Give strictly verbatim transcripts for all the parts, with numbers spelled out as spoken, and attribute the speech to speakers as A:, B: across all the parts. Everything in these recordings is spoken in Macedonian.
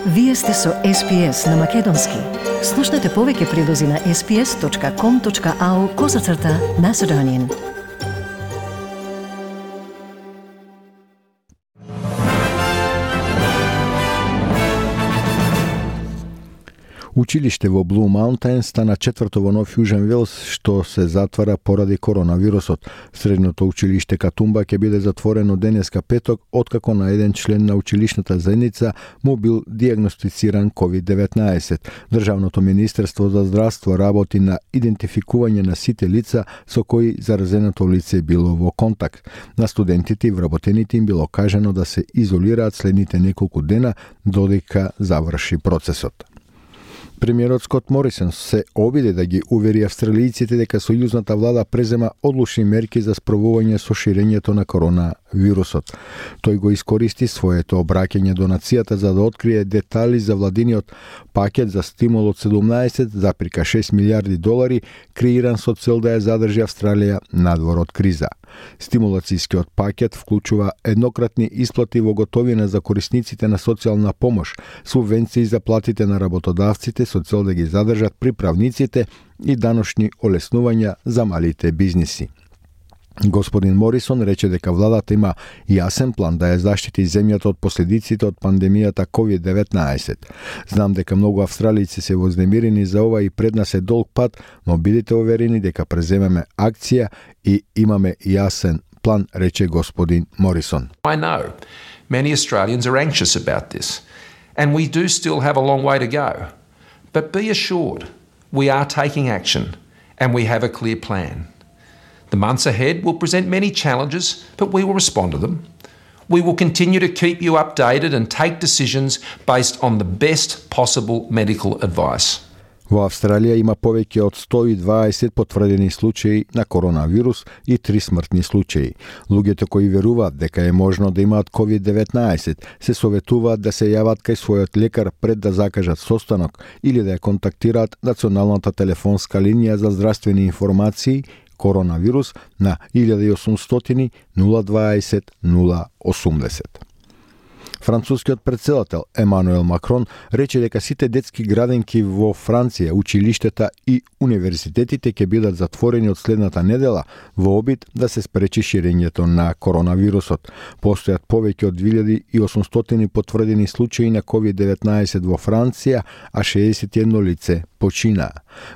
A: Вие сте со Ес Пи Ес на Македонски. Слушнете повеќе прилози на ес пи ес точка ком точка ау козацрта Macedonian.
B: Училиште во Блу Маунтајн стана четврто во Нов Јужен Велс, што се затвара поради коронавирусот. Средното училиште Катумба ќе биде затворено денеска петок, откако на еден член на училишната заедница му бил диагностициран ковид деветнаесет. Државното министерство за здравство работи на идентификување на сите лица со кои заразеното лице било во контакт. На студентите и вработените им било кажано да се изолираат следните неколку дена додека заврши процесот. Премиерот Скот Морисон се обиде да ги увери австралијците дека сојузната влада презема одлучни мерки за спровување со ширењето на коронавирусот. Тој го искористи своето обраќање до нацијата за да открие детали за владиниот пакет за стимул од седумнаесет зарез шест милијарди долари, креиран со цел да ја задржи Австралија надвор од криза. Стимулацијскиот пакет вклучува еднократни исплати во готовина за корисниците на социјална помош, субвенции за платите на работодавците со цел да ги задржат приправниците и даношни олеснувања за малите бизниси. Господин Морисон рече дека владата има јасен план да ја заштити земјата од последиците од пандемијата ковид деветнаесет. Знам дека многу австралијци се вознемирени за ова и пред нас е долг пат, но бидете уверени дека преземеме акција и имаме јасен план, рече господин Морисон.
C: I know many Australians are anxious about this, and we do still have a long way to go. But be assured, we are taking action, and we have a clear plan. The months ahead will present many challenges, but we will respond to them. We will continue to keep you updated and take decisions based on the best possible medical advice.
B: Во Австралија има повеќе од сто и дваесет потврдени случаи на коронавирус и три смртни случаи. Луѓето кои веруваат дека е можно да имаат ковид деветнаесет се советуваат да се јават кај својот лекар пред да закажат состанок или да ја контактираат националната телефонска линија за здравствени информации коронавирус на илјада и осумстотини нула дваесет нула осумдесет. Францускиот претседател Емануел Макрон рече дека сите детски градинки во Франција, училиштата и универзитетите ќе бидат затворени од следната недела во обид да се спречи ширењето на коронавирусот. Постојат повеќе од две илјади и осумстотини потврдени случаи на ковид деветнаесет во Франција, а шеесет и едно лице почина.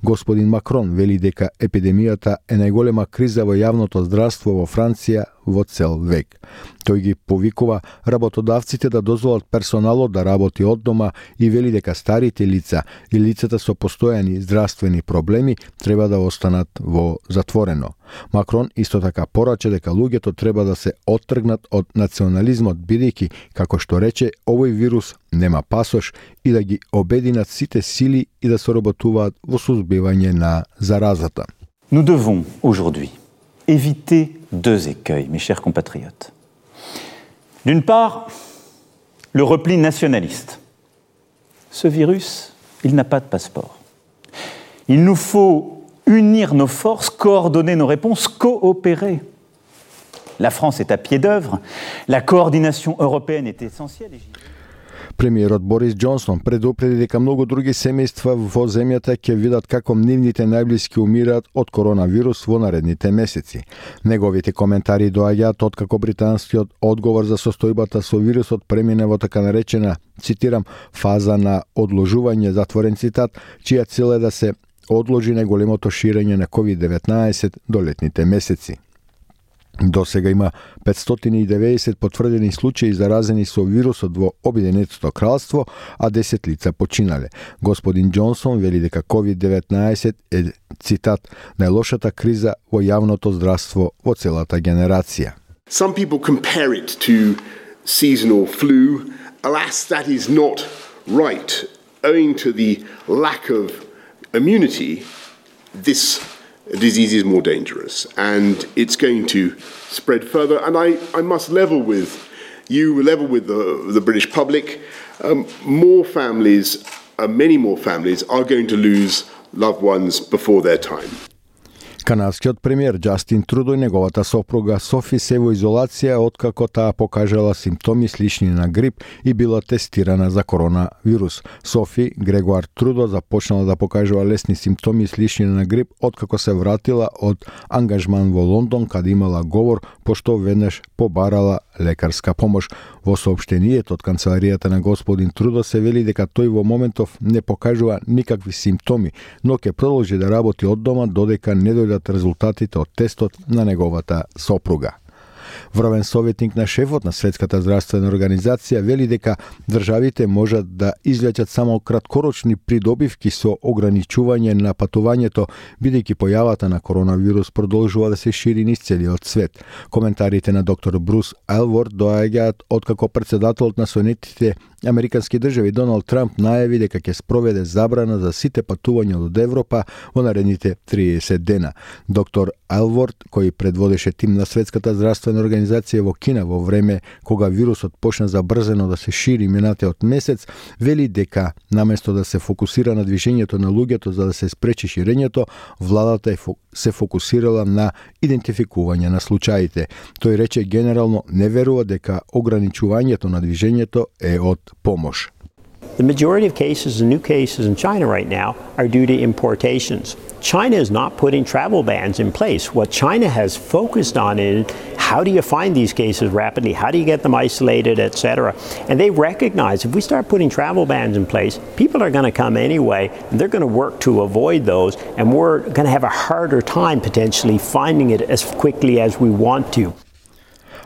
B: Господин Макрон вели дека епидемијата е најголема криза во јавното здравство во Франција во цел век. Тој ги повикува работодавците да дозволат персоналот да работи од дома и вели дека старите лица и лицата со постојани здравствени проблеми треба да останат во затворено. Макрон исто така порача дека луѓето треба да се оттргнат од национализмот, бидејќи, како што рече, овој вирус нема пасош и да ги обединат сите сили и да соработуваат во сузбивање на заразата.
D: Nous devons aujourd'hui éviter deux écueils, mes chers compatriotes. D'une part, le repli nationaliste. Ce virus, il n'a pas de passeport. Il nous faut unir nos forces, coordonner nos réponses, coopérer. La France est à pied d'œuvre, la coordination européenne est essentielle.
B: Премиерот Борис Џонсон предупреди дека многу други семејства во земјата ќе видат како нивните најблиски умираат од коронавирус во наредните месеци. Неговите коментари доаѓаат откако британскиот одговор за состојбата со вирусот премине во така наречена, цитирам, фаза на одложување, затворен цитат, чија цел е да се одложи најголемото ширење на ковид деветнаесет до летните месеци. До сега има петстотини и деветдесет потврдени случаи заразени со вирусот во Обединетото кралство, а десет лица починале. Господин Џонсон вели дека ковид деветнаесет е, цитат, најлошата криза во јавното здравство во целата генерација.
E: Some people compare it to seasonal flu. Alas, that is not right. Owing to the lack of immunity, this disease is more dangerous and it's going to spread further. And I, I must level with you, level with the, the British public. Um, more families, uh, many more families are going to lose loved ones before their time.
B: Канадскиот премиер Џастин Трудо и неговата сопруга Софи се во изолација откако таа покажала симптоми слични на грип и била тестирана за коронавирус. Софи Грегуар Трудо започнала да покажува лесни симптоми слични на грип откако се вратила од ангажман во Лондон, каде имала говор, пошто веднаш побарала лекарска помош. Во соопштенијето од канцеларијата на господин Трудо се вели дека тој во моментов не покажува никакви симптоми, но ќе продолжи да работи од дома додека не дојдат резултатите од тестот на неговата сопруга. Врвен советник на шефот на Светската здравствена организација вели дека државите можат да извлечат само краткорочни придобивки со ограничување на патувањето, бидејќи појавата на коронавирус продолжува да се шири низ целиот свет. Коментарите на доктор Брус Елворд доаѓаат откако председателот на Соединетите Американски држави Доналд Трамп најави дека ќе спроведе забрана за сите патувања од Европа во наредните триесет дена. Доктор Елворд, кој предводеше тим на Светската здравствена организација во Кина во време кога вирусот почна забрзено да се шири минатиот месец, вели дека наместо да се фокусира на движењето на луѓето за да се спречи ширењето, владата се фокусирала на идентификување на случаите. Тој рече генерално не верува дека ограничувањето на движењето е од помош.
F: The majority of cases and new cases in China right now are due to importations. China is not putting travel bans in place. What China has focused on is how do you find these cases rapidly? How do you get them isolated, et cetera? And they recognize if we start putting travel bans in place, people are going to come anyway, and they're going to work to avoid those, and we're going to have a harder time potentially finding it as quickly as we want to.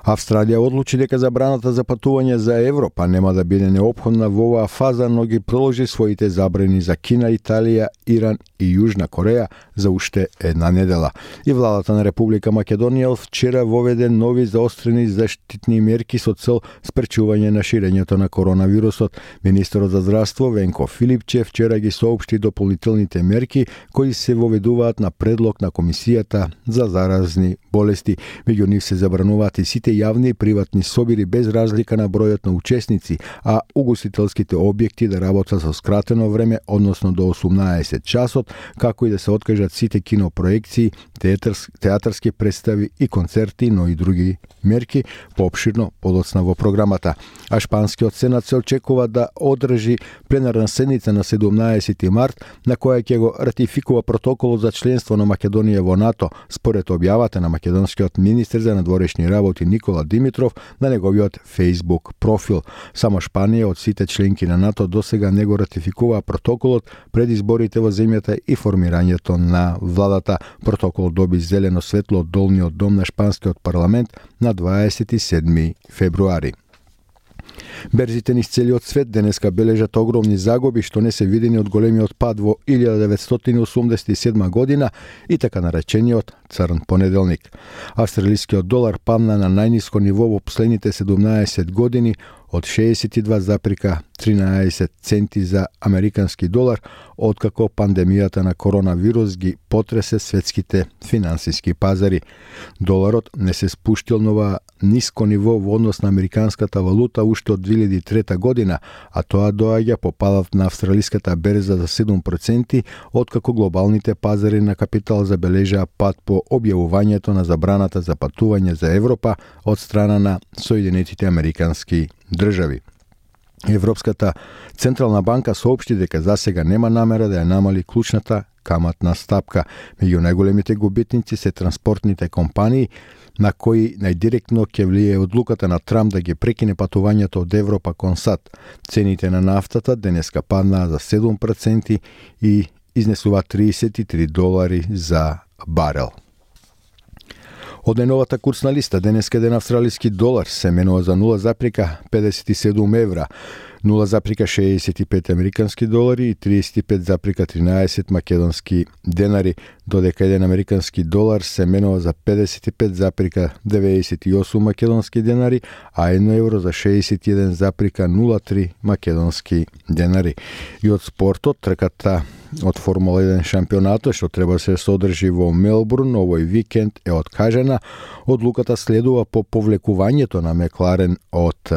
B: Австралија одлучи дека забраната за патување за Европа нема да биде неопходна во оваа фаза, но ги продолжи своите забрани за Кина, Италија, Иран и Јужна Кореја за уште една недела. И владата на Република Македонија вчера воведе нови заострени заштитни мерки со цел спречување на ширењето на коронавирусот. Министерот за здравство Венко Филипче вчера ги соопшти дополнителните мерки кои се воведуваат на предлог на Комисијата за заразни болести. Меѓу нив се забрануваат и сите јавни и приватни собири без разлика на бројот на учесници, а угостителските објекти да работат со скратено време, односно до осумнаесет часот, како и да се откажат сите кинопроекции, театарски, театарски представи и концерти, но и други мерки, поопширно подоцна во програмата. А шпанскиот сенат се очекува да одржи пленарна седница на седумнаесети март, на која ќе го ратификува протоколот за членство на Македонија во НАТО, според објавата на македонскиот министер за надворешни работи Никола Димитров на неговиот Facebook профил. Само Шпанија од сите членки на НАТО досега не го ратификува протоколот пред изборите во земјата и формирањето на владата. Протокол доби зелено светло од долниот дом на шпанскиот парламент на дваесет и седми февруари. Берзите низ целиот свет денеска бележат огромни загуби што не се видени од големиот пад во илјада деветстотини осумдесет и седма година и така наречениот црн понеделник. Австралискиот долар падна на најниско ниво во последните седумнаесет години од шеесет и два запирка тринаесет центи за американски долар, откако пандемијата на коронавирус ги потресе светските финансиски пазари. Доларот не се спуштил нова ниско ниво во однос на американската валута уште од две илјади и трета година, а тоа доаѓа по падот на австралиската берза за седум проценти, откако глобалните пазари на капитал забележаа пад по објавувањето на забраната за патување за Европа од страна на Соединетите американски држави. Европската централна банка соопшти дека засега нема намера да ја намали клучната каматна стапка. Меѓу најголемите губитници се транспортните компании, на кои најдиректно ќе влие одлуката на Трамп да ги прекине патувањето од Европа кон САД. Цените на нафтата денеска паднаа за седум проценти и изнесува триесет и три долари за барел. Од најновата курсна листа денеска еден австралиски долар се менува за нула запирка педесет и седум евра, нула запирка шеесет и пет американски долари и триесет и пет запирка тринаесет македонски денари, додека еден американски долар се менува за педесет и пет запирка деветдесет и осум македонски денари, а едно евро за шеесет и еден запирка нула три македонски денари. И од спортот, трката од Формула еден шампионатот што треба се содржи во Мелбурн овој викенд е откажена. Одлуката следува по повлекувањето на Макларен од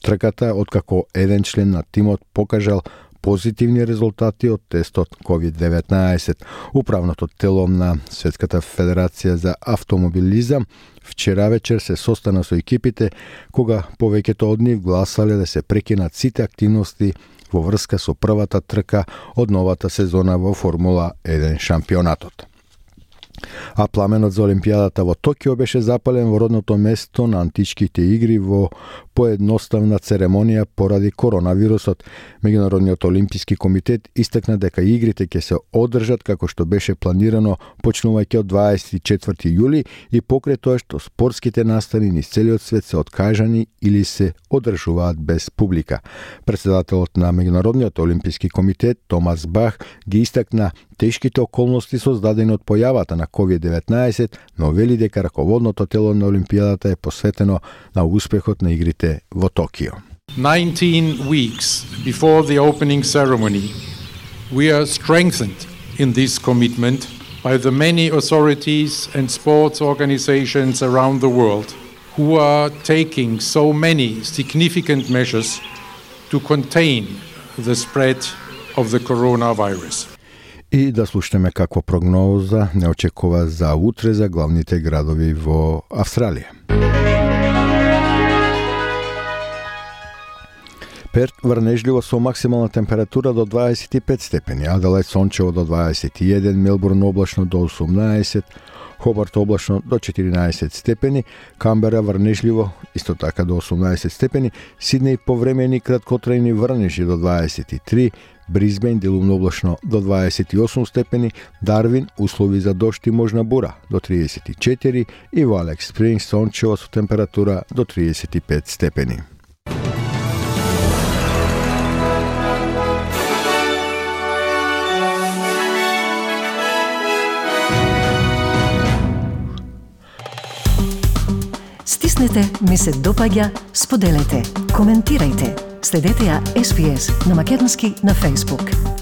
B: трката, откако еден член на тимот покажал позитивни резултати од тестот ковид деветнаесет. Управното тело на Светската федерација за автомобилизам вчера вечер се состана со екипите, кога повеќето од нив гласале да се прекинат сите активности во врска со првата трка од новата сезона во Формула еден шампионатот. А пламенот за Олимпијадата во Токио беше запален во родното место на античките игри во поедноставна церемонија поради коронавирусот. Меѓународниот олимписки комитет истакна дека игрите ќе се одржат како што беше планирано почнувајќи од дваесет и четврти јули и покрај тоа што спортските настани низ целиот свет се откажани или се одржуваат без публика. Претседателот на Меѓународниот олимписки комитет Томас Бах ги истакна тешките околности создадени од појавата на ковид деветнаесет, но вели дека раководното тело на Олимпијадата е посветено на успехот на игрите во Токио.
G: nineteen weeks before the opening ceremony, we are strengthened in this commitment by the many authorities and sports organizations around the world who are taking so many significant measures to contain the spread of the coronavirus.
B: И да слушнеме каква прогноза не очекува за утре за главните градови во Австралија. Перт врнежливо со максимална температура до дваесет и пет степени, Аделаид сончево до дваесет и еден, Мелбурн облачно до осумнаесет, Хобарт облачно до четиринаесет степени, Камбера врнежливо исто така до осумнаесет степени, Сиднеј повремени краткотрајни врнежи до дваесет и три, Брисбен делумно облачно до дваесет и осум степени, Дарвин услови за дожд и можна бура до триесет и четири и во Алекс Спрингс сончево со температура до триесет и пет степени.
A: Стиснете, ми се допаѓа, споделете, коментирајте. Следете ја Ес Би Ес на македонски на Facebook.